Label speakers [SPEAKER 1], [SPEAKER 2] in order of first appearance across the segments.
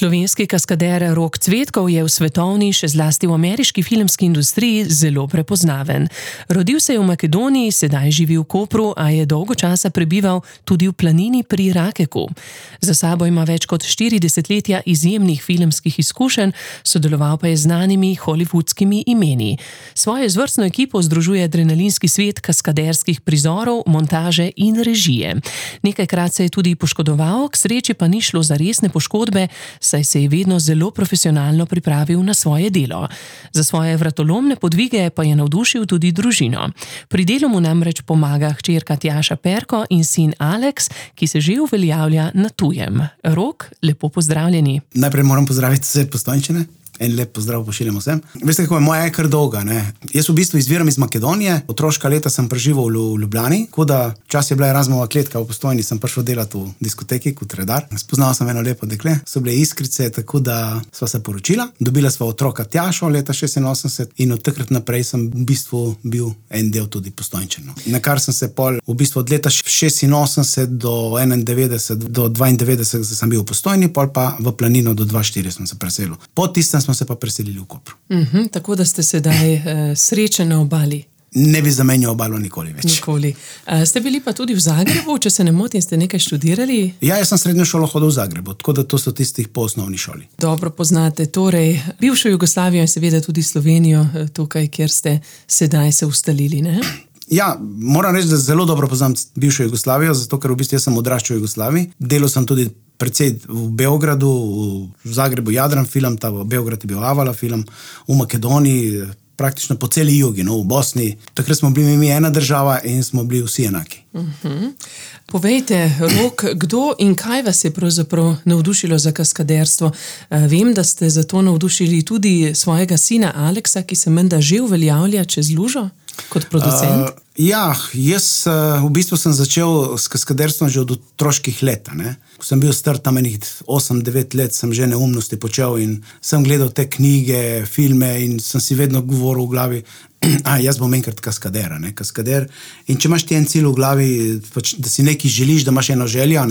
[SPEAKER 1] Slovenski kaskader Rok Cvetkov je v svetovni, še zlasti v ameriški filmski industriji zelo prepoznaven. Rodil se je v Makedoniji, sedaj živi v Kopru, a je dolgo časa prebival tudi v planini pri Rakeku. Za sabo ima več kot 4 desetletja izjemnih filmskih izkušenj, sodeloval pa je z znanimi hollywoodskimi imeni. Svojo izvrstno ekipo združuje adrenalinski svet kaskaderskih prizorov, montaže in režije. Nekajkrat se je tudi poškodoval, k sreči pa ni šlo za resne poškodbe, saj se je vedno zelo profesionalno pripravil na svoje delo. Za svoje vratolomne podvige pa je navdušil tudi družino. Pri delu mu namreč pomaga hčerka Tjaša Perko in sin Aleks, ki se že uveljavlja na tujem. Rok, lepo pozdravljeni.
[SPEAKER 2] Najprej moram pozdraviti vse Postojnčane. En lep pozdrav pošiljam vsem. Veste, kako je moja kar dolga, ne? Jaz v bistvu izviram iz Makedonije, otroška leta sem preživel v Ljubljani, tako da čas je bila Erasmova kletka v Postojni, sem prišel delati v diskoteki kot redar. Spoznal sem eno lepo dekle, so bile iskrice, tako da sva se poročila. Dobila sva otroka Tjašo leta 86 in od takrat naprej sem v bistvu bil en del tudi Postojnčanov. Na kar sem se pol v bistvu od leta 86 do 91 do 92 sem bil v Postojni, pol pa v Planino do 24 sem se preselil. Po tistem smo se pa preselili v Kopru.
[SPEAKER 1] Tako da ste sedaj srečen na obali.
[SPEAKER 2] Ne bi zamenjal obalo nikoli več.
[SPEAKER 1] Nikoli. Ste bili pa tudi v Zagrebu, če se ne motim, ste nekaj študirali?
[SPEAKER 2] Ja, jaz sem srednjo šolo hodil v Zagrebu, tako da to so tistih po osnovni šoli.
[SPEAKER 1] Dobro poznate, torej bivšo Jugoslavijo in seveda tudi Slovenijo, tukaj, kjer ste sedaj se ustalili, ne?
[SPEAKER 2] Ja, moram reči, da zelo dobro poznam bivšo Jugoslavijo, zato ker v bistvu jaz sem odraščal v Jugoslaviji. Delal sem tudi precej v Beogradu, v Zagrebu Jadran film, v Beograd je bil Avala film, v Makedoniji, praktično po celi jugi, v Bosni. Takrat smo bili mi ena država in smo bili vsi enaki.
[SPEAKER 1] Povejte, Rok, kdo in kaj vas je pravzaprav navdušilo za kaskaderstvo? Vem, da ste za to navdušili tudi svojega sina Aleksa, ki se menda že uveljavlja čez lužo kot producent.
[SPEAKER 2] Ja, jaz v bistvu sem začel s kaskaderstvom že od otroških let. Ko sem bil star tam enih 8-9 let, sem že neumnosti počel in sem gledal te knjige, filme in sem si vedno govoril v glavi, jaz bom enkrat kaskader. Kaskader. In če imaš ti en cilj v glavi, da si nekaj želiš, da imaš eno željo,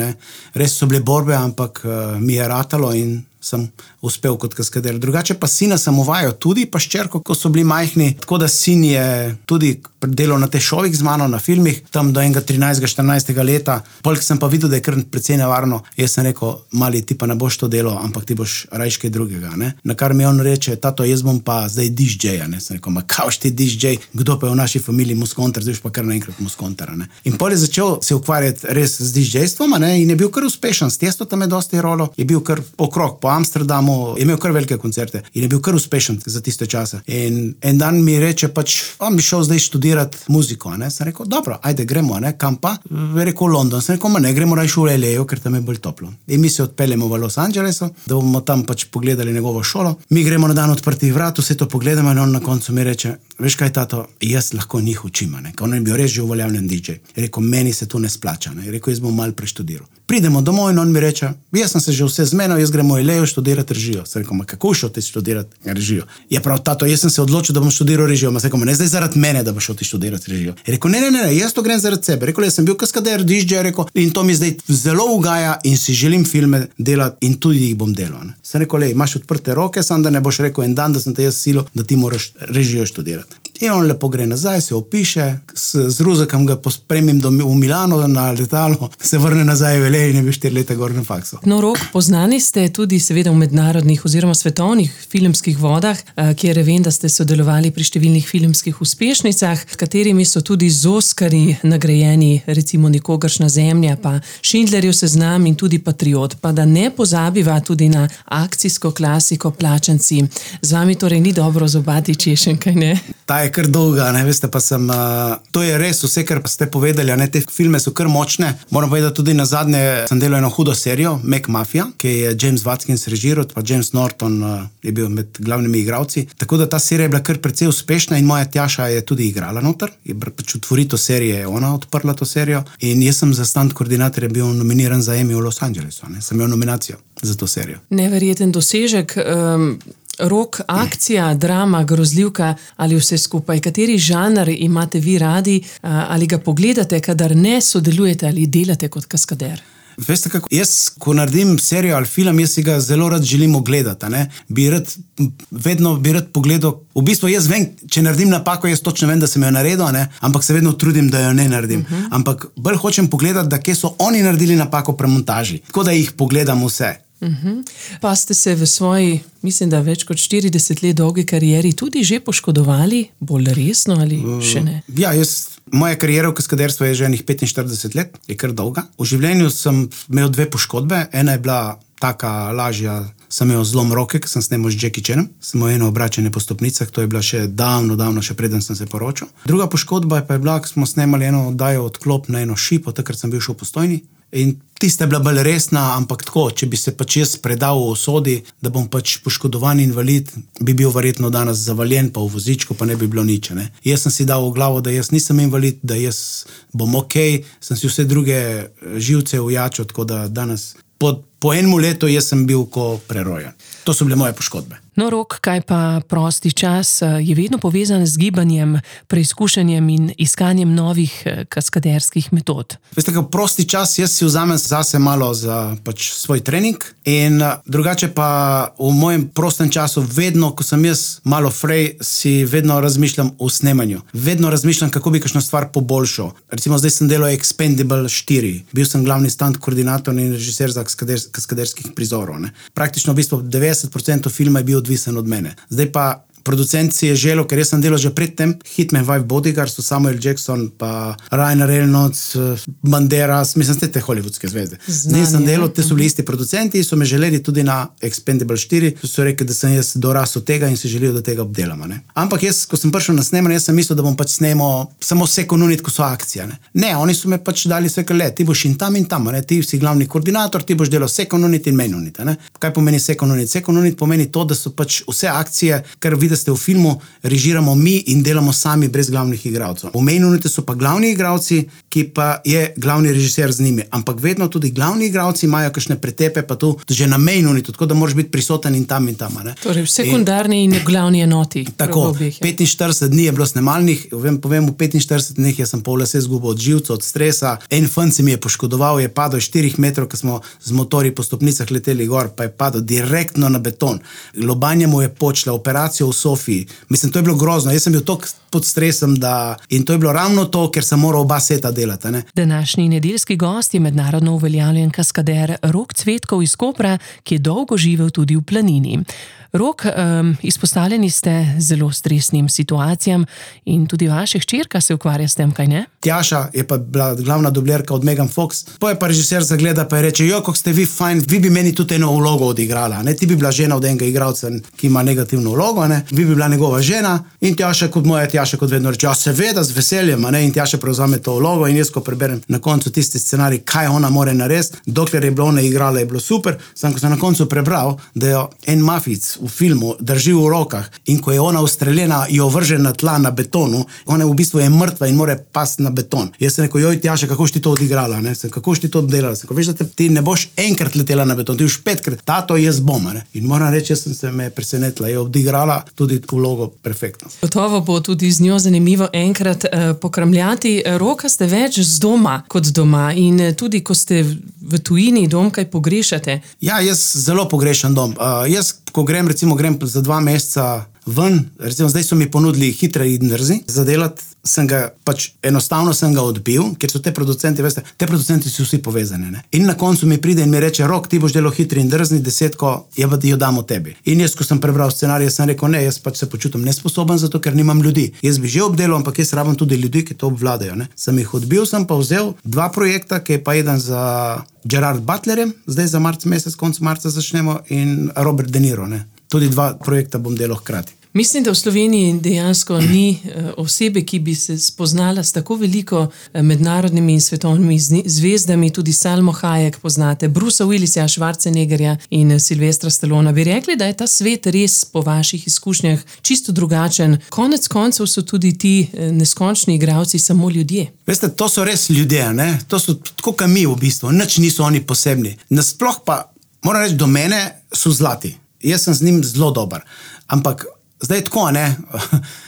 [SPEAKER 2] res so bile borbe, ampak mi je ratalo in sem uspel kot kaskader. Drugače pa sina sem uvajal tudi, pa ščerko, ko so bili majhni, tako da sin je tudi delal na teh šovih z mano, na filmih, tam do enega 13-14 leta. Polk sem pa videl, da je kar precej nevarno. Jaz sem rekel, mali, ti pa ne boš to delal, ampak ti boš rajš kaj drugega. Na kar mi on reče, tato, jaz bom pa zdaj DJ-ja. Sem rekel, ma kauš ti DJ, kdo pa je v naši familiji muskonter, zdaj pa kar naenkrat muskonter. In pol je začel se ukvarjati res z DJ-stvom in je bil kar uspešen. S Tiesto tam je dosti rolo, je bil kar okrog po Amsterdamu, je imel kar velike koncerte in je bil kar uspešen za tiste čase. In en dan mi reče, on bi šel zdaj študirati muziko. Sem rekel, dobro, ajde, gremo, kam pa? Je rekel, London. Sem rekel, ne, gremo rajš v LA, ker tam je bolj toplo. In mi se odpeljemo v Los Angelesu, da bomo tam pogledali njegovo šolo. Mi gremo na dan odprtih vrat, vse to pogledamo in on na koncu mi reče, veš kaj, tato, jaz lahko njih učim. On je bil res že uveljavljen DJ. Je rekel, meni se to ne splača. Je rekel, jaz bom malo preštudiral. Pridemo domov in on mi reče, jaz sem se že vse zmenil, jaz gremo v LA študirati režijo. Sem rekel, ma kako šel ti študirati režijo? Je prav, tato, jaz sem se odločil, da bom študiral režijo. Ma sem rekel, ne zdaj zaradi mene, da boš šel ti študirati režijo. Je rekel, ne, jaz to grem zaradi sebe. Rekel, jaz sem bil kaskader, DJ, rekel, in to mi zdaj zelo ugaja in si želim filme delati in tudi jih bom delal. Sem rekel, imaš odprte roke, sam da ne boš rekel en dan, da sem te jaz silo, da ti moraš režijo študirati. In on lepo gre nazaj, se opiše, z Ruzakom ga pospremim v Milano na letalo, se vrne nazaj v LA in je bil 4 leta gor na faksu.
[SPEAKER 1] No, Rok, poznani ste tudi seveda v mednarodnih oziroma svetovnih filmskih vodah, kjer vem, da ste sodelovali pri številnih filmskih uspešnicah, s katerimi so tudi z Oskarji nagrajeni, recimo Nikogaršnja zemlja, pa Schindlerjev seznam in tudi Patriot. Pa da ne pozabiva tudi na akcijsko klasiko Plačanci. Z vami torej ni dobro zobati češen, kaj ne?
[SPEAKER 2] Ta je kar dolga, veste, pa sem, to je res vse, kar ste povedali, te filme so kar močne. Moram povedati, tudi na zadnje sem delal eno hudo serijo, Mac Mafia, ki je James Watkins režiral, pa James Norton je bil med glavnimi igralci. Tako da ta serija je bila kar precej uspešna in moja Tjaša je tudi igrala noter. Je utvoritev serije, je ona odprla to serijo in jaz sem za stand koordinatorja bil nominiran za Emmy v Los Angelesu. Sem imel nominacijo za to serijo.
[SPEAKER 1] Neverjeten dosežek. Rok, akcija, drama, grozljivka ali vse skupaj? Kateri žanr imate vi radi ali ga pogledate, kadar ne sodelujete ali delate kot kaskader?
[SPEAKER 2] Veste kako, jaz, ko naredim serijo ali film, jaz si ga zelo rad želim ogledati, ne. Vedno bi rad pogledal, v bistvu jaz vem, če naredim napako, jaz točno vem, da sem jo naredil, ne, ampak se vedno trudim, da jo ne naredim. Ampak bolj hočem pogledati, da kje so oni naredili napako pri montaži, tako da jih pogledam vse.
[SPEAKER 1] Pa ste se v svoji, mislim, da več kot 40 let dolgi karieri tudi že poškodovali, bolj resno ali še ne?
[SPEAKER 2] Ja, moja kariera v kaskaderstvu je že enih 45 let, je kar dolga. V življenju sem imel 2 poškodbe, ena je bila taka lažja, sem imel zlom roke, ker sem snemal z Jackie Chanom, sem imel eno obračanje po stopnicah, to je bila še davno, še preden sem se poročil. Druga poškodba pa je bila, ko smo snemali eno oddajo Odklop na eno šipo, takrat sem bil še v Postojni. In tista je bila bolj resna, ampak tako, če bi se pač jaz predal v usodi, da bom pač poškodovan invalid, bi bil verjetno danes zavaljen, pa v vozičku, pa ne bi bilo nič, ne. Jaz sem si dal v glavo, da jaz nisem invalid, da jaz bom okej, sem si vse druge živce ujačil, tako da danes po enem letu jaz sem bil ko prerojen. To so bile moje poškodbe.
[SPEAKER 1] No, Rok, kaj pa prosti čas je vedno povezan z gibanjem, preizkušanjem in iskanjem novih kaskaderskih metod.
[SPEAKER 2] Veste, kako prosti čas, jaz si vzamem zase malo za pač svoj trening in drugače pa v mojem prostem času vedno, ko sem jaz malo frej, si vedno razmišljam o snemanju. Vedno razmišljam, kako bi kakšno stvar poboljšal. Recimo, zdaj sem delal Expendable 4. Bil sem glavni stunt koordinator in režiser za kaskaderskih prizorov, ne. Praktično v bistvu 90% filma je bil odvisen od mene. Zdaj pa producent si je želel, ker jaz sem delal že predtem Hitman Wife Bodyguard, so Samuel Jackson, pa Ryan Reynolds, Banderas, mislim, te hollywoodske zvezde. Zdaj sem delal, te so bili isti producenti, so me želeli tudi na Expendable 4, so rekli, da sem jaz dorasel tega in si želijo, da tega obdelamo, ne. Ampak jaz, ko sem prišel na snemanje, jaz sem mislil, da bom pač snemal samo second unit, ko so akcija, ne. Ne, oni so me pač dali vse kar ti boš in tam, ne, ti si glavni koordinator, ti boš delal second unit in main unit, ne. Kaj pomeni second unit? Second unit pomeni to, da so pač vse akcije, kar da ste v filmu, režiramo mi in delamo sami brez glavnih igralcev. V main unitu so pa glavni igralci, ki pa je glavni režiser z njimi, ampak vedno tudi glavni igralci imajo kakšne pretepe, pa tu že na main unitu, tako da moraš biti prisoten in tam, ne.
[SPEAKER 1] Torej, v sekundarni in glavni enoti.
[SPEAKER 2] Tako, 45 dni je bilo snemalnih, povem, v 45 dneh jaz sem pol lase izgubil od živca, od stresa, en fant se mi je poškodoval, je padel 4 metrov, ko smo z motorji po stopnicah leteli gor, pa je padel direktno na beton. Lobanja mu je počela, operacijo v Sofiji. Mislim, to je bilo grozno. Jaz sem bil toliko pod stresom, in to je bilo ravno to, ker sem moral oba seta delati, ne.
[SPEAKER 1] Današnji nedeljski gost je mednarodno uveljavljen kaskader Rok Cvetkov iz Kopra, ki je dolgo živel tudi v Planini. Rok, izpostavljeni ste zelo stresnim situacijam in tudi vaša hčerka se ukvarja s tem, kaj ne?
[SPEAKER 2] Tjaša je pa bila glavna dublerka od Megan Fox. Po je pa režiser zagleda pa je reče, kako ste vi fajn, vi bi meni tudi eno vlogo odigrala, ne? Ti bi bila žena od enega igralca, ki ima negativno vlogo, ne? Vi bi bila njegova žena in Tjaša kot vedno reče, ja seveda, z veseljem, ne? In Tjaša prevzame to vlogo in jaz, ko preberem na koncu tisti scenarij, kaj ona more narediti, dokler je bila ona igrala, je bilo super, samo ko sem na koncu prebral, da jo en mafic v filmu drži v rokah in ko je ona ustreljena, jo vrže na tla na betonu, ona v bistvu je mrtva in more pasti na beton. Jaz sem rekel, joj Tjaša, kako si ti to odigrala, ne? Kako si ti to obdelala? Veš, da ti ne boš enkrat letela na beton, ti už 5krat, tato jaz bom, ne? In moram reči, jaz sem se me presenetila, je odigrala tudi vlogo perfektno.
[SPEAKER 1] Gotovo bo tudi z njo zanimivo enkrat pokramljati. Roka, ste več z doma kot doma in tudi, ko ste v tujini, dom kaj pogrešate?
[SPEAKER 2] Ja, jaz zelo pogrešam dom. Jaz, ko grem za 2 meseca ven, recimo zdaj so mi ponudili Hitri in drzni za delati, enostavno sem ga odbil, ker so te producenti, veste, te producenti so vsi povezani, ne. In na koncu mi pride in mi reče, Rok, ti boš delal Hitri in drzni, 10, jo damo tebi. In jaz, ko sem prebral scenarij, sem rekel, ne, jaz pač se počutim nesposoben zato, ker nimam ljudi. Jaz bi že obdelal, ampak jaz rabim tudi ljudi, ki to obvladajo, ne. Sem jih odbil, sem pa vzel 2 projekta, ki je pa eden za Gerard Butlerjem, zdaj za mesec, konec marca začnemo, in Robert De Niro, ne. Tudi 2 projekta bom delal hkrati.
[SPEAKER 1] Mislim, da v Sloveniji dejansko ni osebe, ki bi se spoznala s tako veliko mednarodnimi in svetovnimi zvezdami, tudi Salmo Hayek poznate, Brucea Willisa, Schwarzeneggerja in Sylvestra Stallona. Bi rekli, da je ta svet res po vaših izkušnjah čisto drugačen? Konec koncev so tudi ti neskončni igralci samo ljudje.
[SPEAKER 2] Veste, to so res ljudje, ne? To so tako kot mi v bistvu, nič niso oni posebni. Nasploh pa, moram reči, do mene so zlati. Jaz sem z njim zelo dober. Ampak zdaj tako, ne,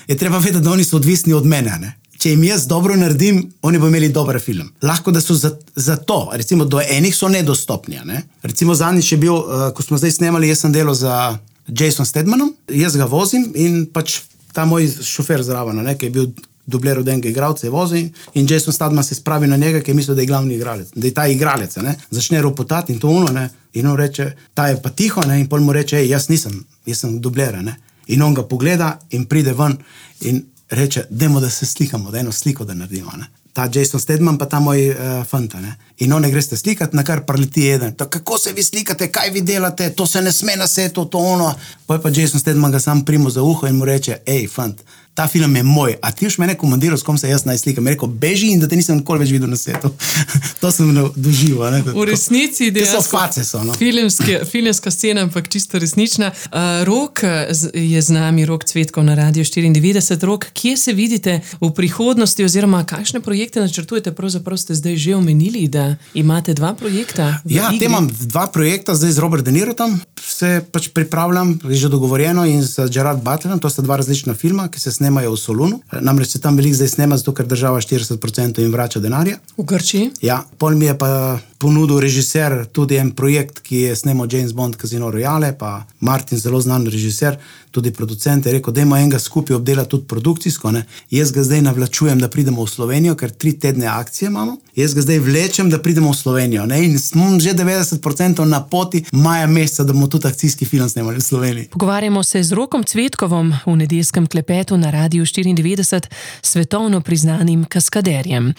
[SPEAKER 2] je treba vedeti, da oni so odvisni od mene, ne. če jim jaz dobro naredim, oni bo imeli dober film. Lahko, da so za to, recimo do enih so nedostopni. Ne? Recimo zadnjič je bil, ko smo zdaj snemali, jaz sem delal za Jason Stathamanom, jaz ga vozim in pač ta moj šofer zraven, ki je bil dubler od enega igralca, je vozil in Jason Statham se spravi na njega, ki je mislil, da je glavni igralec, da je ta igralec, ne? Začne ropotati in to ono, ne? In on reče, ta je pa tiho, ne? In pol mu reče, jaz sem dublera, ne? In on ga pogleda in pride ven in reče, dajmo, da se slikamo, da eno sliko da naredimo, ne? Ta Jason Statham pa ta moj fanta, ne? In one greste slikati, na kar preleti eden. Kako se vi slikate, kaj vi delate, to se ne sme na setu, to ono. Pa Jason Statham ga sam primo za uho in mu reče, fant, ta film je moj, a ti už mene komandiral, s kom se jaz naj slikam. Rekel, beži in da te nisem nikoli več videl na setu. To sem doživel.
[SPEAKER 3] V resnici
[SPEAKER 2] no?
[SPEAKER 3] Filmska scena, ampak čisto resnična. Rok je z nami, Rok Cvetkov na Radio 94. Rok, kje se vidite v prihodnosti oziroma kakšne projekte načrtujete? Pravzaprav ste zdaj že omenili, da imate 2 projekta.
[SPEAKER 2] Ja, te imam 2 projekta, zdaj z Robert De Niro tam se pač pripravljam, je že dogovorjeno in z Gerard Butlerom, to sta 2 različna filma, ki se snemajo v Solunu. Namreč se tam veliko zdaj snema, zato ker država 40% jim vrača denarja.
[SPEAKER 3] V Grčiji?
[SPEAKER 2] Ja, pol mi je pa ponudil režiser tudi en projekt, ki je snemal James Bond Casino Royale, pa Martin, zelo znan režiser, tudi producent, je rekel, dajmo enega skupaj obdelati tudi produkcijsko, ne. Jaz ga zdaj navlačujem, da pridemo v Slovenijo, ker 3 tedne akcije imamo. Jaz ga zdaj vlečem, da pridemo v Slovenijo, ne. In smo že 90% na poti maja meseca, da bomo tudi akcijski film snemali v Sloveniji.
[SPEAKER 1] Pogovarjamo se z Rokom Cvetkovom v nedeljskem klepetu na Radiu 94, svetovno priznanim kaskaderjem.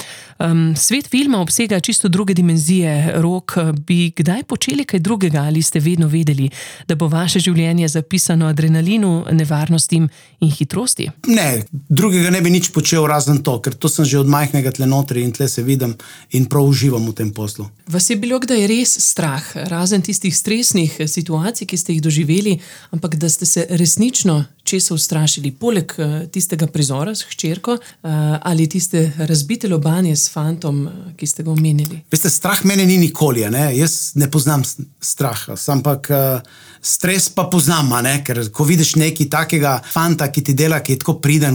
[SPEAKER 1] Svet filma obsega čisto druge dimenzije. Rok, bi kdaj počeli kaj drugega ali ste vedno vedeli, da bo vaše življenje zapisano adrenalinu, nevarnostim in hitrosti?
[SPEAKER 2] Ne, drugega ne bi nič počel razen to, ker to sem že od majhnega tle notri in tle se vidim in prav uživam v tem poslu.
[SPEAKER 3] Vas je bilo kdaj res strah, razen tistih stresnih situacij, ki ste jih doživeli, ampak da ste se resnično česa ustrašili, poleg tistega prizora s hčerko ali tiste razbite lobanje s fantom, ki ste ga omenili?
[SPEAKER 2] Veste, strah mene ni nikoli, ne? Jaz ne poznam straha, ampak stres pa poznam, ne? Ker ko vidiš neki takega fanta, ki ti dela, ki je tako priden,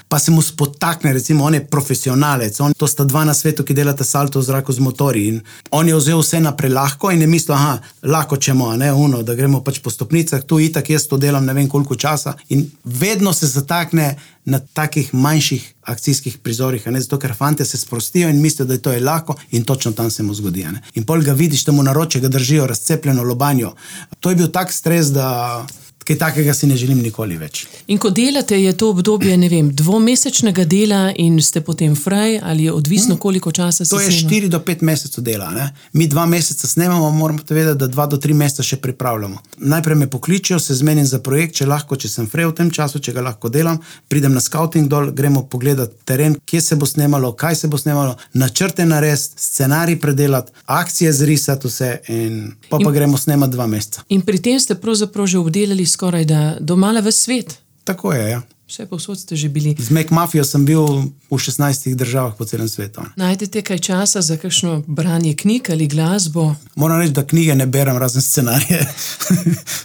[SPEAKER 2] pa se mu spotakne, recimo on je profesionalec, to sta 2 na svetu, ki delata salto v zraku z motorji in on je vzel vse naprej lahko in je mislil, lahko čemo, ne, da gremo pač po stopnicah, tu itak jaz to delam ne vem koliko časa in vedno se zatakne na takih manjših akcijskih prizorih, ne, zato ker fante se sprostijo in mislijo, da je to lahko in točno tam se mu zgodi, ne. In pol ga vidiš, da mu naroče ga držijo razcepljeno lobanjo. To je bil tak stres, da kaj takega si ne želim nikoli več.
[SPEAKER 3] In ko delate, je to obdobje, ne vem, 2-mesečnega dela in ste potem fraj ali je odvisno, koliko časa se snema?
[SPEAKER 2] To je 4 do 5 mesecev dela, ne. Mi 2 meseca snemamo, moramo te vedeti, da 2 do 3 meseca še pripravljamo. Najprej me pokličijo, se zmenim za projekt, če sem fraj v tem času, če ga lahko delam, pridem na scouting dol, gremo pogledati teren, kje se bo snemalo, kaj se bo snemalo, načrte narediti, scenarij predelati, akcije zrisati vse in pa gremo snemati 2 meseca.
[SPEAKER 3] In pri tem ste pravzaprav že obdelali skoraj da domala ves svet.
[SPEAKER 2] Tako je, ja.
[SPEAKER 3] Vse povsod ste že bili.
[SPEAKER 2] Z Mac-Mafijo sem bil v 16 državah po celem svetu.
[SPEAKER 3] Najdete kaj časa za kakšno branje knjig ali glasbo?
[SPEAKER 2] Moram reči, da knjige ne berem razen scenarije.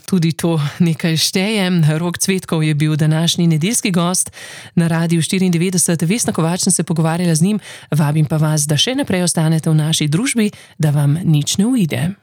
[SPEAKER 1] Tudi to nekaj šteje. Rok Cvetkov je bil današnji nedeljski gost na Radiu 94. Vesna Kovač sem se pogovarjala z njim. Vabim pa vas, da še naprej ostanete v naši družbi, da vam nič ne uide.